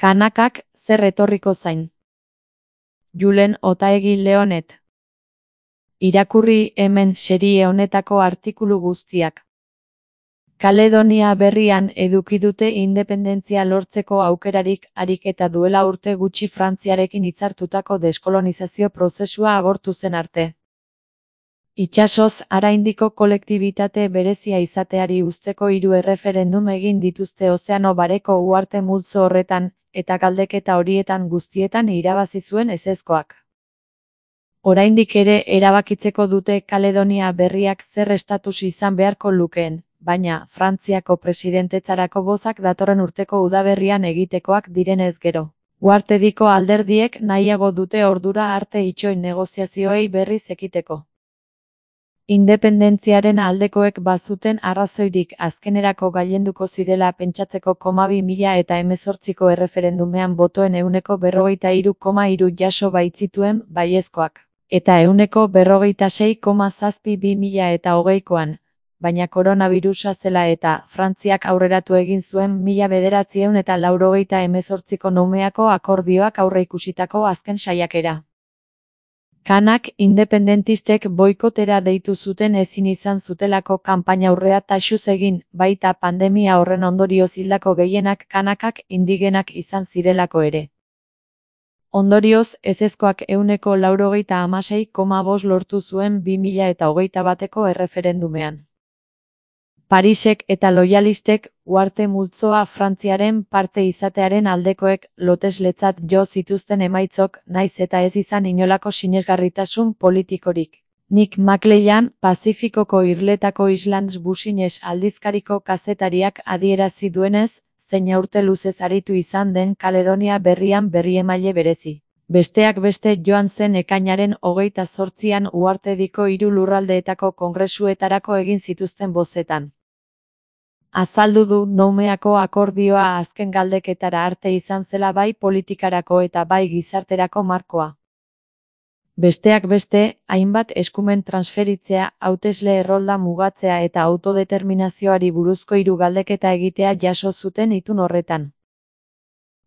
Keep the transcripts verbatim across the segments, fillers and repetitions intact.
Kanakak zer etorriko zain. Julen Otaegi Leonet. Irakurri hemen serie honetako artikulu guztiak. Kaledonia Berrian eduki dute independentzia lortzeko aukerarik harik eta duela urte gutxi Frantziarekin hitzartutako deskolonizazio prozesua agortu zen arte. Itsasoz haraindiko kolektibitate berezia izateari uzteko hiru erreferendum egin dituzte Ozeano Bareko uharte multzo horretan, eta galdeketa horietan guztietan irabazi zuen ezezkoak. Oraindik ere erabakitzeko dute Kaledonia Berriak zer estatus izan beharko lukeen, baina Frantziako presidentetzarako bozak datorren urteko udaberrian egitekoak direnez gero. Uhartediko alderdiek nahiago dute ordura arte itxoin negoziazioei berriz ekiteko. Independentziaren aldekoek bazuten arrazoirik azkenerako gailenduko zirela pentsatzeko koma bi mila eta hemezortziko erreferendumean botoen ehuneko berrogeita hiru koma hiru jaso baitzituen baiezkoak, eta ehuneko berrogeita sei koma zazpi bi mila eta hogeikoan, baina koronabirusa zela eta Frantziak aurreratu egin zuen mila bederatziehun eta laurogeita hemezortziko Noumeako akordioak aurreikusitako azken saiakera. Kanak independentistek boikotera deitu zuten ezin izan zutelako kanpaina aurrea taxuz egin, baita pandemia horren ondorioz hildako gehienak kanakak indigenak izan zirelako ere. Ondorioz, ezezkoak ehuneko laurogeita hamasei koma bost lortu zuen bi mila eta hogeita bateko erreferendumean. Parisek eta loyalistek uharte multzoa Frantziaren parte izatearen aldekoek lotesletzat jo zituzten emaitzok naiz eta ez izan inolako sinesgarritasun politikorik. Nick Maclean, Pazifikoko irletako Islands Business aldizkariko kazetariak adierazi duenez, zein urte luzez aritu izan den Kaledonia Berrian berriemaile berezi. Besteak beste joan zen ekainaren hogeita zortzian uhartediko hiru lurraldeetako kongresuetarako egin zituzten bozetan. Azaldu du Noumeako akordioa azken galdeketara arte izan zela bai politikarako eta bai gizarterako markoa. Besteak beste, hainbat eskumen transferitzea, hautesle errolda mugatzea eta autodeterminazioari buruzko hiru galdeketa egitea jaso zuten itun horretan.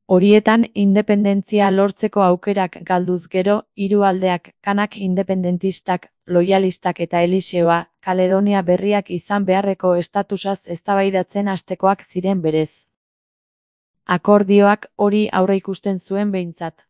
Horietan independentzia lortzeko aukerak galduz gero, hiru aldeak, kanak independentistak, loyalistak eta Eliseoa, Kaledonia Berriak izan beharreko estatusaz eztabaidatzen hastekoak ziren berez. Akordioak hori aurreikusten zuen behintzat.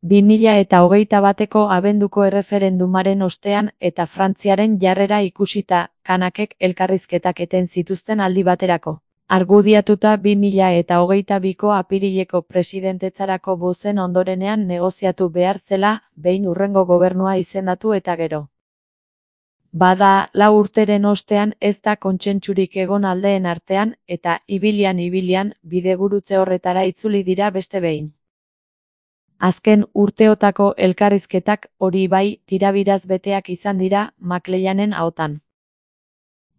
bi mila eta hogeita bateko abenduko erreferendumaren ostean eta Frantziaren jarrera ikusita, kanakek elkarrizketak eten zituzten aldi baterako. Argudiatuta bi mila eta hogeita biko apirileko presidentetzarako bozen ondorenean negoziatu behar zela, behin hurrengo gobernua izendatu eta gero. Bada, lau urteren ostean ez da kontsentsurik egon aldeen artean, eta ibilian-ibilian bidegurutze horretara itzuli dira beste behin. Azken urteotako elkarrizketak hori bai tirabiraz beteak izan dira Macleanen ahotan.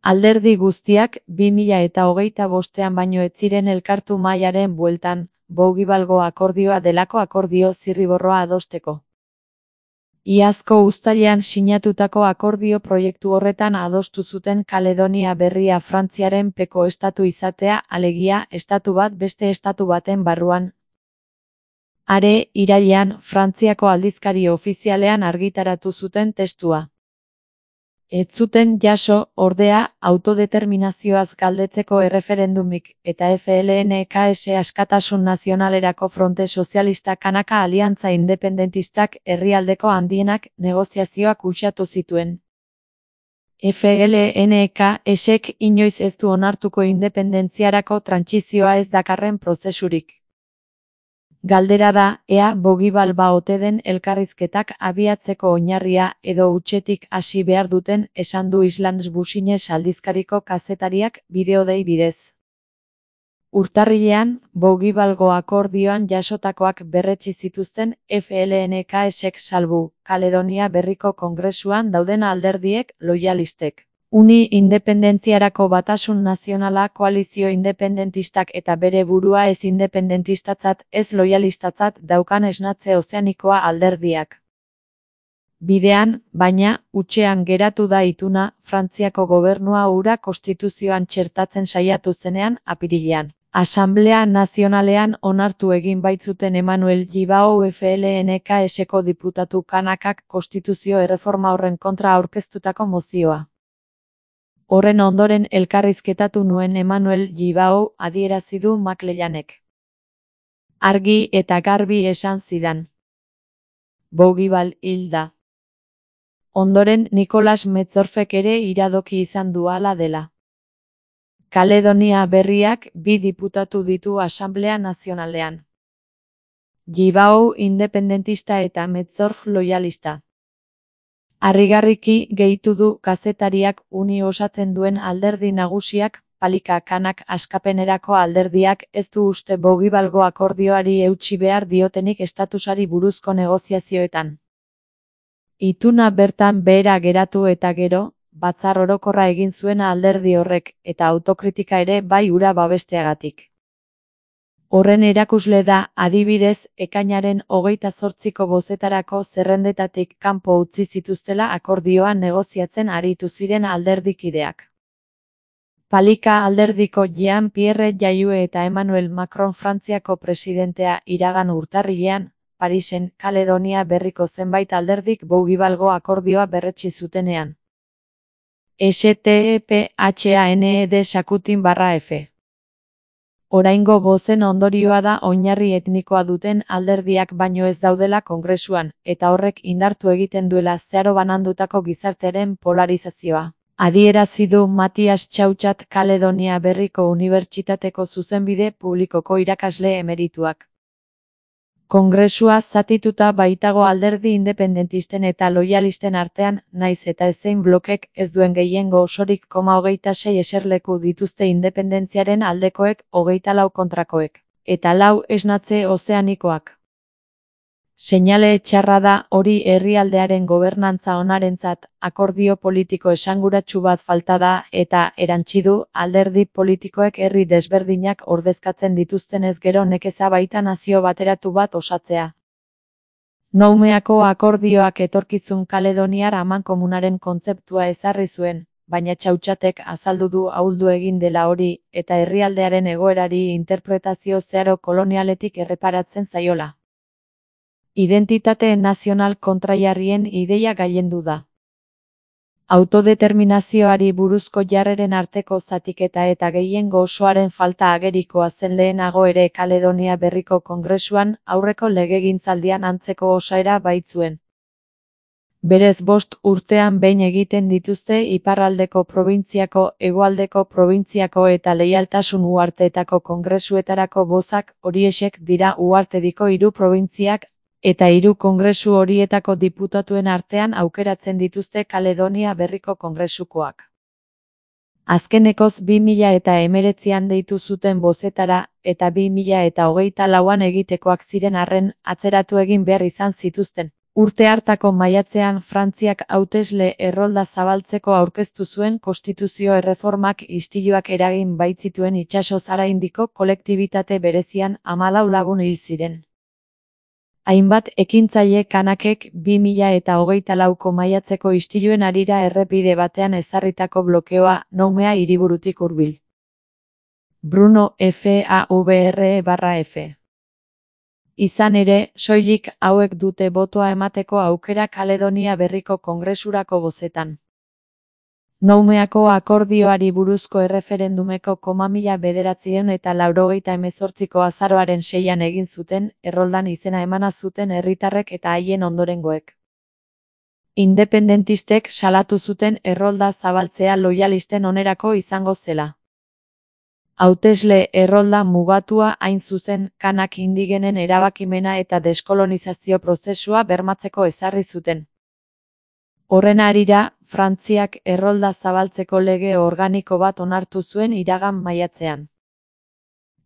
Alderdi guztiak bi mila eta hogeita bostean baino ez ziren elkartu mahaiaren bueltan, Bougivalgo akordioa delako akordio zirriborroa adosteko. Iazko uztailean sinatutako akordio proiektu horretan adostu zuten Kaledonia Berria Frantziaren peko estatu izatea, alegia estatu bat beste estatu baten barruan. Are, irailean, Frantziako aldizkari ofizialean argitaratu zuten testua. Ez zuten jaso, ordea, autodeterminazioaz galdetzeko erreferendumik, eta F L N K S Askatasun Nazionalerako Fronte Sozialista Kanaka Aliantza Independentistak herrialdeko handienak negoziazioak uxatu zituen. F L N K Sek inoiz ez du onartuko independentziarako trantsizioa ez dakarren prozesurik. Galdera da, ea Bougival ote den elkarrizketak abiatzeko oinarria edo hutsetik hasi behar duten, esan du Islands Business aldizkariko kazetariak bideodei bidez. Urtarrilean, Bougivalgo akordioan jasotakoak berretsi zituzten F L N K Sek salbu, Kaledonia Berriko kongresuan dauden alderdiek loyalistek. Uni Independentziarako Batasun Nazionala koalizio independentistak eta bere burua ez independentistatzat ez loyalistatzat daukan esnatze ozeanikoa alderdiak. Bidean, baina, hutsean geratu da ituna, Frantziako gobernua hura konstituzioan txertatzen saiatu zenean apirilean. Asanblea Nazionalean onartu egin baitzuten Emmanuel Gibao F L N K S-ko diputatu kanakak konstituzio erreforma horren kontra aurkeztutako mozioa. Horren ondoren elkarrizketatu nuen Emmanuel Gibao adierazi du Maclellanek. Argi eta garbi esan zidan. Bougival hil da. Ondoren Nicolas Metzdorfek ere iradoki izan du hala dela. Kaledonia Berriak bi diputatu ditu Asanblea Nazionalean. Gibao independentista eta Metzdorf loyalista. Harrigarriki gehitu du kazetariak uni osatzen duen alderdi nagusiak, Palika Kanak askapenerako alderdiak ez du uste Bougivalgo akordioari eutsi behar diotenik estatusari buruzko negoziazioetan. Ituna bertan behera geratu eta gero, batzar orokorra egin zuena alderdi horrek, eta autokritika ere bai hura babesteagatik. Horren erakusle da, adibidez, ekainaren hogeita zortziko bozetarako zerrendetatik kanpo utzi zituztela akordioa negoziatzen aritu ziren alderdikideak. Palika alderdiko Jean-Pierre Jayue eta Emmanuel Macron Frantziako presidentea iragan urtarrilean, Parisen, Kaledonia Berriko zenbait alderdik Bougivalgo akordioa berretsi zutenean. S T E P H A N E D sakutin barra F. Oraingo bozen ondorioa da oinarri etnikoa duten alderdiak baino ez daudela kongresuan, eta horrek indartu egiten duela zeharo banandutako gizartearen polarizazioa. Adierazi du Matias Txautxat Kaledonia Berriko Unibertsitateko zuzenbide publikoko irakasle emerituak. Kongresua zatituta baitago alderdi independentisten eta loyalisten artean, naiz eta ezein blokek ez duen gehiengo osorik koma hogeita sei eserleku dituzte independentziaren aldekoek hogeita lau kontrakoek, eta lau esnatze ozeanikoak. Seinale txarra da hori herrialdearen gobernantza onarentzat, akordio politiko esanguratsu bat falta da eta erantsi du alderdi politikoek herri desberdinak ordezkatzen dituztenez gero nekeza baita nazio bateratu bat osatzea. Noumeako akordioak etorkizun kaledoniar amankomunaren kontzeptua ezarri zuen, baina Txautxatek azaldu du ahuldu egin dela hori eta herrialdearen egoerari interpretazio zeharo kolonialetik erreparatzen zaiola. Identitate nazional kontraiarrien ideia gailendu da. Autodeterminazioari buruzko jarreren arteko zatiketa eta gehiengo osoaren falta agerikoa zen lehenago ere Kaledonia Berriko Kongresuan aurreko legegintzaldian antzeko osaera baitzuen. Berez bost urtean behin egiten dituzte iparraldeko probintziako, hegoaldeko probintziako eta leialtasun uharteetako kongresuetarako bozak horiexek dira uhartediko hiru probintziak, eta hiru kongresu horietako diputatuen artean aukeratzen dituzte Kaledonia Berriko kongresukoak. Azkenekoz bi mila eta hemeretzian deitu zuten bozetara, eta bi mila eta hogeita lauan egitekoak ziren arren, atzeratu egin behar izan zituzten. Urte hartako maiatzean Frantziak hautesle errolda zabaltzeko aurkeztu zuen konstituzio erreformak istiluak eragin baitzituen itsaso zaraindiko kolektibitate berezian hamalau lagun hil ziren. Hainbat ekintzaile kanakek bi mila eta hogeita lauko maiatzeko istiluen harira errepide batean ezarritako blokeoa Noumea hiriburutik hurbil. Bruno F A V R E barra F. Izan ere, soilik hauek dute botoa emateko aukera Kaledonia Berriko Kongresurako bozetan. Noumeako akordioari buruzko erreferendumeko koma mila bederatziehun eta laurogeita hemezortziko azaroaren seian egin zuten, erroldan izena emana zuten herritarrek eta haien ondorengoek. Independentistek salatu zuten errolda zabaltzea loyalisten onerako izango zela. Hautesle errolda mugatua hain zuzen, kanak indigenen erabakimena eta deskolonizazio prozesua bermatzeko ezarri zuten. Horren harira, Frantziak errolda zabaltzeko lege organiko bat onartu zuen iragan maiatzean.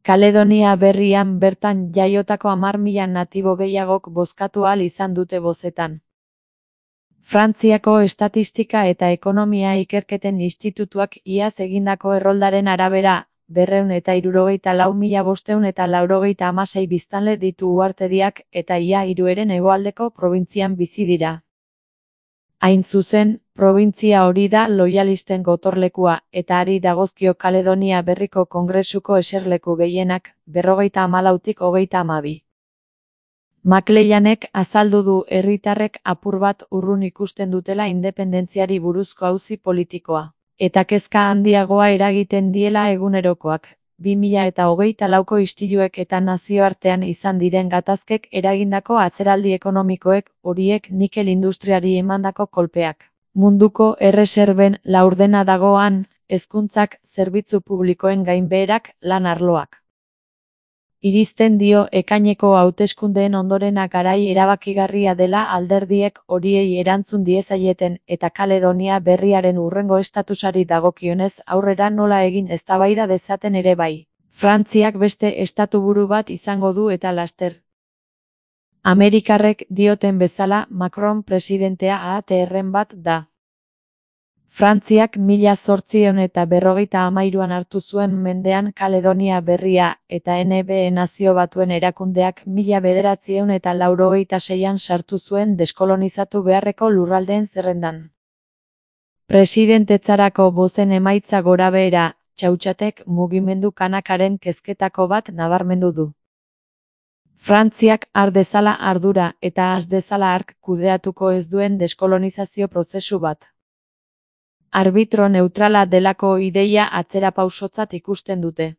Kaledonia Berrian bertan jaiotako hamar mila natibo gehiagok bozkatu ahal izan dute bozetan. Frantziako Estatistika eta Ekonomia Ikerketen Institutuak iaz egindako erroldaren arabera, berrehun eta hirurogeita lau mila bostehun eta laurogeita hamasei biztanle ditu uhartediak eta ia hirueren hegoaldeko probintzian bizi dira. Hain zuzen, probintzia hori da loialisten gotorlekua, eta hari dagozkio Kaledonia Berriko Kongresuko eserleku gehienak, berrogeita hamalautik hogeita hamabi. McLeanek azaldu du herritarrek apur bat urrun ikusten dutela independentziari buruzko auzi politikoa, eta kezka handiagoa eragiten diela egunerokoak. bi mila hogeita lauko istiluek eta nazioartean izan diren gatazkek eragindako atzeraldi ekonomikoek, horiek nikel industriari emandako kolpeak. Munduko erreserben laurdena dagoan, hezkuntzak, zerbitzu publikoen gainbeherak, lan arloak. Irizten dio ekaineko hauteskundeen ondorena garai erabakigarria dela alderdiek horiei erantzun diezaieten eta Kaledonia Berriaren hurrengo estatusari dagokionez aurrera nola egin eztabaida dezaten ere bai. Frantziak beste estatuburu bat izango du eta laster. Amerikarrek dioten bezala Macron presidentea ahateerren bat da. Frantziak mila zortziehun eta berrogeita hamairuan hartu zuen mendean Kaledonia Berria eta N B E Nazio Batuen erakundeak mila bederatziehun eta laurogeita seian sartu zuen deskolonizatu beharreko lurraldeen zerrendan. Presidentetzarako bozen emaitza gorabehera, Txautxatek mugimendu kanakaren kezketako bat nabarmendu du. Frantziak har dezala ardura eta has dezala hark kudeatuko ez duen deskolonizazio prozesu bat. Arbitro neutrala delako ideia atzerapausotzat ikusten dute.